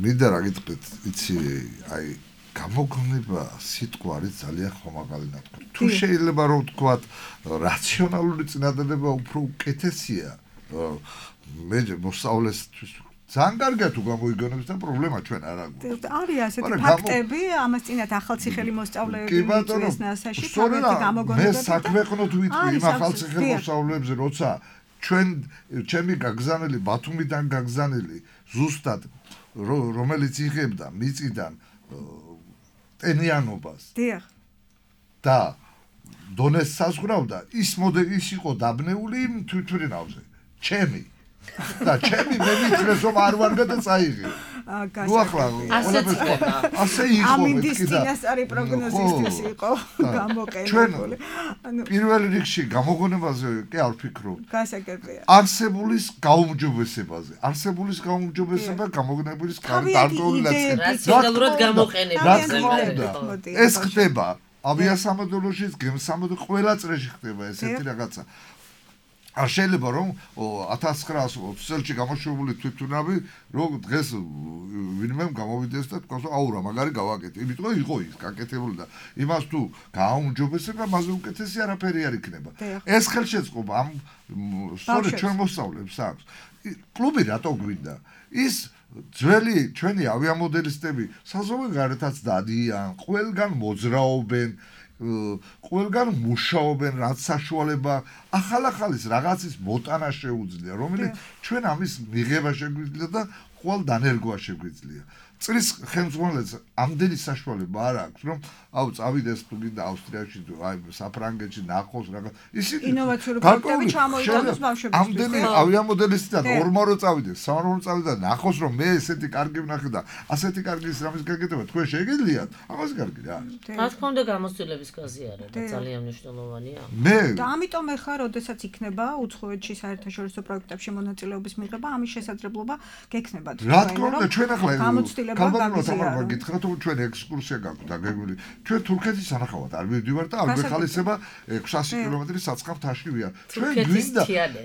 მინდა რა გიტყვით, იცი, აი გამოგონება სიტყვა არის ძალიან ხომაღალი ნათქვამი. თუ შეიძლება რომ ვთქვათ, რაციონალური წინადადება უფრო უკეთესია, მე მოსწავლესთვის ძალიან კარგია თუ გამოიგონებს და პრობლემა ჩვენ არ აქვს. არის ასეთი ფაქტები, ამას წინათ ახალციხელი მოსწავლეები მიწვიეს ნასაში, თავიანთი გამოგონებები. მე საქმეყნოთ ვიტყვი იმ ახალციხელ მოსწავლეებზე, როცა ჩემი გაგზავნილი ბათუმიდან გაგზავნილი ზუსტად რომელიც იღებდა მიწიდან ტენიანობას. დიახ. და დონეს საზღვრავდა, ის იყო დაბნეული იმ თვითმფრინავზე. ჩემი და ჩემი მე მითხრეს რომ არ ვარ და წაიღე. ნუ ახლა ასე იყო ამინდის წინასწარი პროგნოზისთვის იყო გამოყენებული. ანუ პირველ რიგში გამოგონებაზე კი არ ვფიქრობ. გასაგებია. არსებულის გაუმჯობესებაზე. არსებულის გაუმჯობესება გამოგონებულის გარკვეული ნაწილი. რაციონალურად გამოყენება. ეს ხდება ავიასამოდელოშიც, გემსამოდელოში ყველა წრეში ხდება ესეთი რაღაცა. არ შეიძლება რომ 1920 წელში გამოშვებული თვითმფრინავი რომ დღეს ვინმე გამოვიდეს და თქვა რომ აუ რა მაგარი გავაკეთე. იმიტომ რომ იყო ის გაკეთებული და იმას თუ გააუმჯობესება, მასზე უკეთესი არაფერი არ იქნება. ეს ხელშეწყობა ამ სწორედ ჩვენ მოსწავლეებს აქვს. კლუბი რატო გვინდა? ის ძველი ჩვენი ავიამოდელისტები საზღვაო გარეთაც დადიან, ყველგან მოძრაობენ, ყველგან მუშაობენ, რაც საშუალება ახალ-ახალის რაღაცის მოტანა შეუძლია, რომელიც ჩვენ ამის მიღება შეგვიძლია და ყოველ დანერგვა შეგვიძლია. წრის ხელმძღვანელს ამდენი საშუალება არ აქვს, რომ აუ წავიდეს თუ გინდა ავსტრიაში თუ აი საფრანგეთში ნახოს რაღაც. ისინი ინოვაციური პროექტები ჩამოიტანოს ბავშვებისთვის. ამდენი ავიამოდელისტიდან ორმარო წავიდეს, სამართლო წავიდეს და ნახოს რომ მე ესეთი კარგი ვნახე და ასეთი კარგი რამის გაკეთება თქვენ შეგიძლიათ, ამას კარგი რა არის. რა თქმა უნდა გამოცდილების გაზიარა და ძალიან მნიშვნელოვანია. მე და ამიტომ ახლა როდესაც იქნება უცხოეთში საერთაშორისო პროექტებში მონაწილეობის მიღება, ამის შესაძლებლობა გექნება თქვენ. რა თქმა უნდა ჩვენ ახლა გამოცდილება თამარ გითხრათ რომ ჩვენ ექსკურსია გაქვთ დაგეგმილი. ჩვენ თურქეთის სანახავად არ მივდივართ და არ გვეხალისება 600 კილომეტრის საწყავთაში ვია.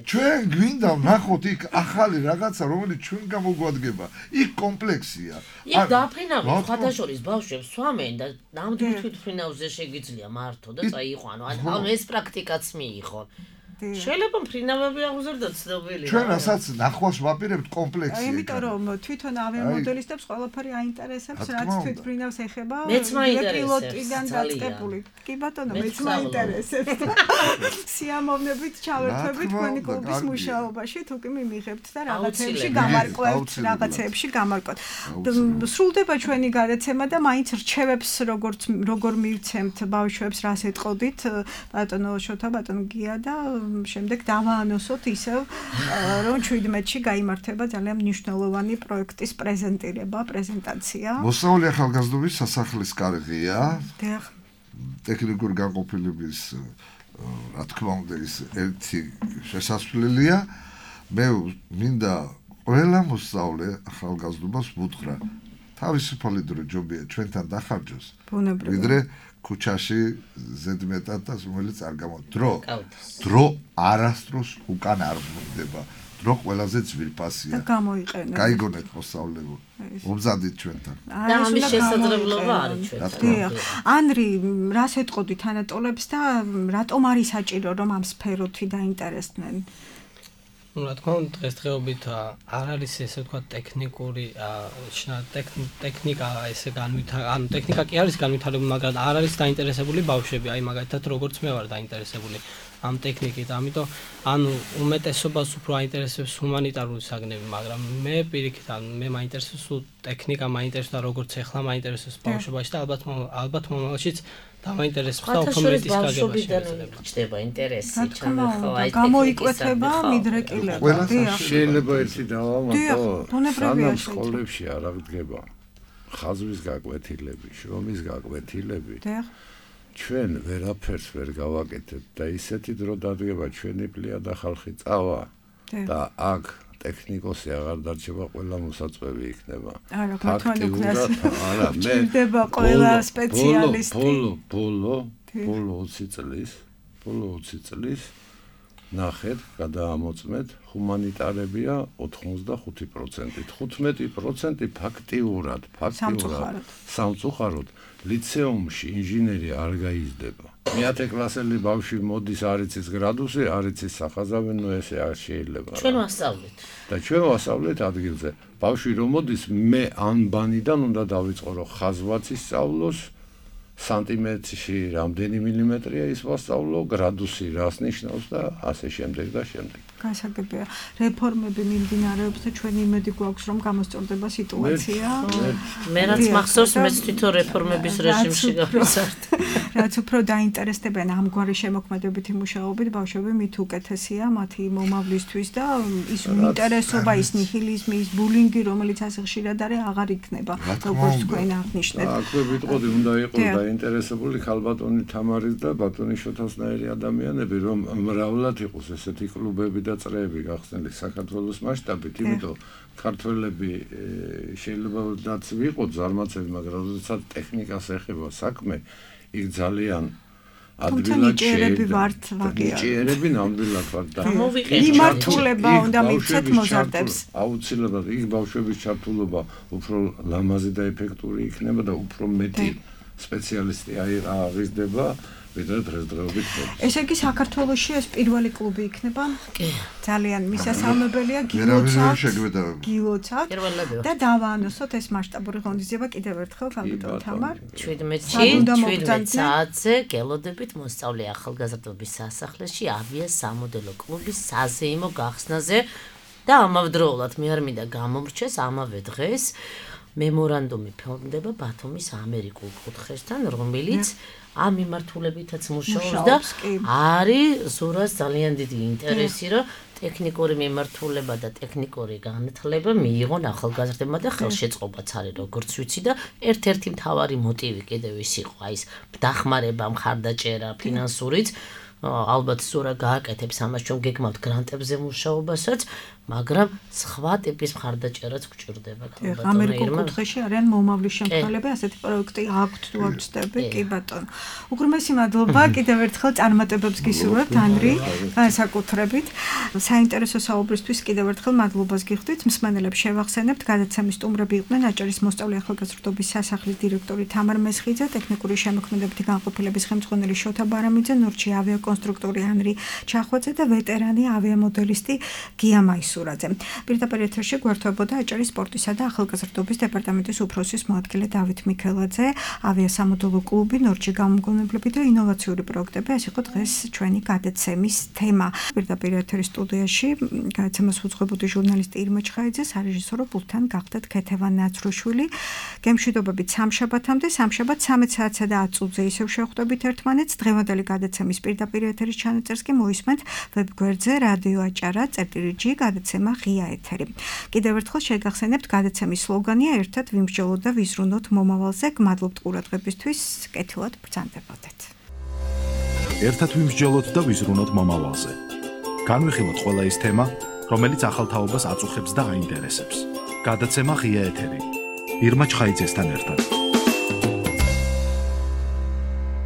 ჩვენ გვინდა ვნახოთ იქ ახალი რაღაცა რომელიც ჩვენ გამოგვადგება. იქ კომპლექსია. იქ დაფრინავენ ხათაშორის ბავშვებს სვამენ და ნამდვილ თვითმფრინავზე შეგიძლია მართო და წაიყვანო. ანუ ეს პრაქტიკაც მიიღო. შეიძლება მფრინავები აღუზრდოთ ცნობილი. ჩვენ რასაც ნახვას ვაპირებთ კომპლექსია. იმიტომ რომ თვითონ ავიამოდელისტებს ყველაფერი აინტერესებს, რაც თვითმფრინავს ეხება. მეც მაინტერესებს. პილოტიდან დაწყებული. კი ბატონო, მეც მაინტერესებს. სიამოვნებით ჩავერთვებით თქვენი კლუბის მუშაობაში, თუ კი მიმიღებთ და რაღაცეებში გამარკვევთ, რაღაცეებში გამარკვევთ. სრულდება ჩვენი გადაცემა და მაინც რჩევებს როგორ მივცემთ ბავშვებს, რას ეტყოდით, ბატონო შოთა, ბატონო გია და შემდეგ დავაანონსოთ ისევ რომ 17-ში გაიმართება ძალიან მნიშვნელოვანი პროექტის პრეზენტაცია. მოსწავლე ახალგაზრდობის სასახლის კარღია. ტექნიკური განყოფილების რა თქმა უნდა ის ერთი შესასვლელია. მე მინდა ყველა მოსწავლე ახალგაზრდობას ვუთხრა თავისუფალი დრო ჯობია ჩვენთან დახარჯოს. ვიდრე ქუჩაში ზედმეტად და რომელიც არ დრო არასდროს უკან არ ბრუნდება. დრო ყველაზე ძვირფასია. და გამოიყენეთ. გაიგონეთ მოსწავლებო. მომზადეთ ჩვენთან. და ამის შესაძლებლობა არის ჩვენთან. ანრი, რას ეტყოდით ანატოლებს და რატომ არის საჭირო რომ ამ სფეროთი დაინტერესდნენ? ну რა თქმა უნდა დღესდღეობით არ არის ესე ვთქვათ ტექნიკური ტექნიკა ესე ანუ ტექნიკა კი არის განვითარებული, მაგრამ არ არის დაინტერესებული ბავშვები, აი მაგალითად როგორც მე ვარ დაინტერესებული ამ ტექნიკით, ამიტომ ანუ უმეტესობას უფრო აინტერესებს ჰუმანიტარული საგნები, მაგრამ მე პირიქით მე მაინტერესებს ტექნიკა, მაინტერესებს და როგორც ახლა მაინტერესებს ბავშვობაში და ალბათ მომავალშიც დამაინტერესებს და უფრო მეტის გაგება შეიძლება. ჩდება ინტერესი, ჩემო ხო, გამოიკვეთება მიდრეკილება. შეიძლება ერთი დავამატო, სანამ სკოლებში არ აღდგება ხაზვის გაკვეთილები, შრომის გაკვეთილები. ჩვენ ვერაფერს ვერ გავაკეთებთ და ისეთი დრო დადგება ჩვენი პლიადა ხალხი წავა და აქ ტექნიკოსი აღარ დარჩება, ყველა მოსაწვევი იქნება. არა, მე ჭირდება ყველა სპეციალისტი. ბოლო 20 წლის ნახეთ, გადაამოწმეთ, ჰუმანიტარებია 85%, 15% ფაქტიურად სამწუხაროდ ლიცეუმში ინჟინერი არ გაიზრდება. მე-10 კლასელი ბავშვი მოდის არ იცის გრადუსი, არ იცის სახაზავი, ნუ ესე არ შეიძლება. ჩვენ ვასწავლეთ. და ჩვენ ვასწავლეთ ადგილზე. ბავშვი რომ მოდის, მე ანბანიდან უნდა დავიწყო, რომ ხაზვაც ისწავლოს, სანტიმეტრში რამდენი მილიმეტრია ის ვასწავლო, გრადუსი რას ნიშნავს და ასე შემდეგ და შემდეგ. გასაგებია. რეფორმები მიმდინარეობს და ჩვენი იმედი გვაქვს, რომ გამოსწორდება სიტუაცია. მე რაც მახსოვს, მეც თვითონ რეფორმების რეჟიმში გავიზარდ. რაც უფრო დაინტერესდებიან ამგვარი შემოქმედებითი მუშაობით, ბავშვები მით უკეთესია მათი მომავლისთვის და ის ინტერესობა, ის ნიჰილიზმი, ის ბულინგი, რომელიც ასე ხშირად არის, აღარ იქნება, როგორც თქვენ აღნიშნეთ. აქვე ვიტყოდი, უნდა იყოს დაინტერესებული ქალბატონი თამარის და ბატონი შოთასნაირი ადამიანები, რომ მრავლად იყოს ესეთი კლუბები და წრეები გახსნილი საქართველოს მასშტაბით, იმიტომ ქართველები შეიძლება რაც ვიყოთ ზარმაცები, მაგრამ როდესაც ტექნიკას ეხება საქმე, იქ ძალიან ადვილად ჭიერები ნამდვილად ვართ და მიმართულება უნდა მიცეთ მოზარდებს. აუცილებლად იქ ბავშვების ჩართულობა უფრო ლამაზი და ეფექტური იქნება და უფრო მეტი სპეციალისტი აღიზრდება, ვიდრე დღესდღეობით. ესე იგი საქართველოში ეს პირველი კლუბი იქნება? კი. ძალიან მისასალმებელია გილოცავთ და დავაანონსოთ ეს მასშტაბური ღონისძიება კიდევ ერთხელ ქალბატონ თამარ. 17 საათზე გელოდებით მოსწავლე ახალგაზრდობის სასახლეში ავიასამოდელო კლუბის საზეიმო გახსნაზე და ამავდროულად მე არ მინდა გამომრჩეს ამავე დღეს მემორანდუმი ფორმდება ბათუმის ამერიკულ კუთხესთან, რომელიც ამ მიმართულებითაც მუშაობს და არის ზურას ძალიან დიდი ინტერესი, რომ ტექნიკური მიმართულება და ტექნიკური განათლება მიიღონ ახალგაზრდებმა და ხელშეწყობაც არის, როგორც ვიცი და ერთ-ერთი მთავარი მოტივი კიდევ ის იყო, აი ეს დახმარება, მხარდაჭერა, ფინანსურიც. ალბათ ზურა გააკეთებს ამას, ჩვენ გეგმავთ გრანტებზე მუშაობასაც, მაგრამ სხვა ტიპის მხარდაჭერაც გვჭირდება. ამერიკულ კუთხეში არიან მომავლის შემქმნელები, ასეთი პროექტი აქვთ თუ არ ვწდები, კი ბატონო. უღრმესი მადლობა, კიდევ ერთხელ წარმატებებს გისურვებთ, ანრი, განსაკუთრებით. საინტერესო საუბრისთვის კიდევ ერთხელ მადლობას გიხდით. მსმენელებს შევახსენებთ, გადაცემის სტუმრები იყვნენ აჭარის მოსწავლე ახალგაზრდობის სასახლის დირექტორი თამარ მესხიძე, ტექნიკური შემოქმედებითი განყოფილების ხელმძღვანელი შოთა ბარამიძე, ნორჩი ავიაკონსტრუქტორი ანრი ჩახვაძე და ვეტერანი ავიამოდელისტი გია მაისურაძე. პირდაპირ ეთერში გვერდებოდა აჭარის სპორტისა და ახალგაზრდობის დეპარტამენტის უფროსის მოადგილე დავით მიქელაძე, ავიასამოდელო კლუბი, ნორჩი გამოგონებლები და ინოვაციური პროექტები. ეს იყო დღეს ჩვენი გადაცემის თემა. პირდაპირ ეთერის სტუდიაში გადაცემას უძღვებოდი ჟურნალისტი ირმა ჩხაიძე, სარეჟისორო პულტთან გახდათ ქეთევან ნაცროშვილი. გემშვიდობებით სამშაბათამდე, სამშაბათ 13 საათსა და 10 წუთზე ისევ შევხვდებით ერთმანეთს. დღევანდელი გადაცემის პირდაპირ ეთერის ჩანაწერს კი მოისმენთ ვებგვერდზე რადიო აჭარა წერტილი გადაცემა ღია ეთერი. კიდევ ერთხელ შეგახსენებთ, გადაცემის სლოგანია ერთად ვიმსჯელოთ და ვიზრუნოთ მომავალზე. გმადლობთ ყურადღებისთვის, კეთილად ბრძანდებოდეთ. ერთად ვიმსჯელოთ და ვიზრუნოთ მომავალზე. განვიხილოთ ყველა ის თემა, რომელიც ახალთაობას აწუხებს და აინტერესებს. გადაცემა ღია ეთერი. ირმა ჩხაიძესთან ერთად.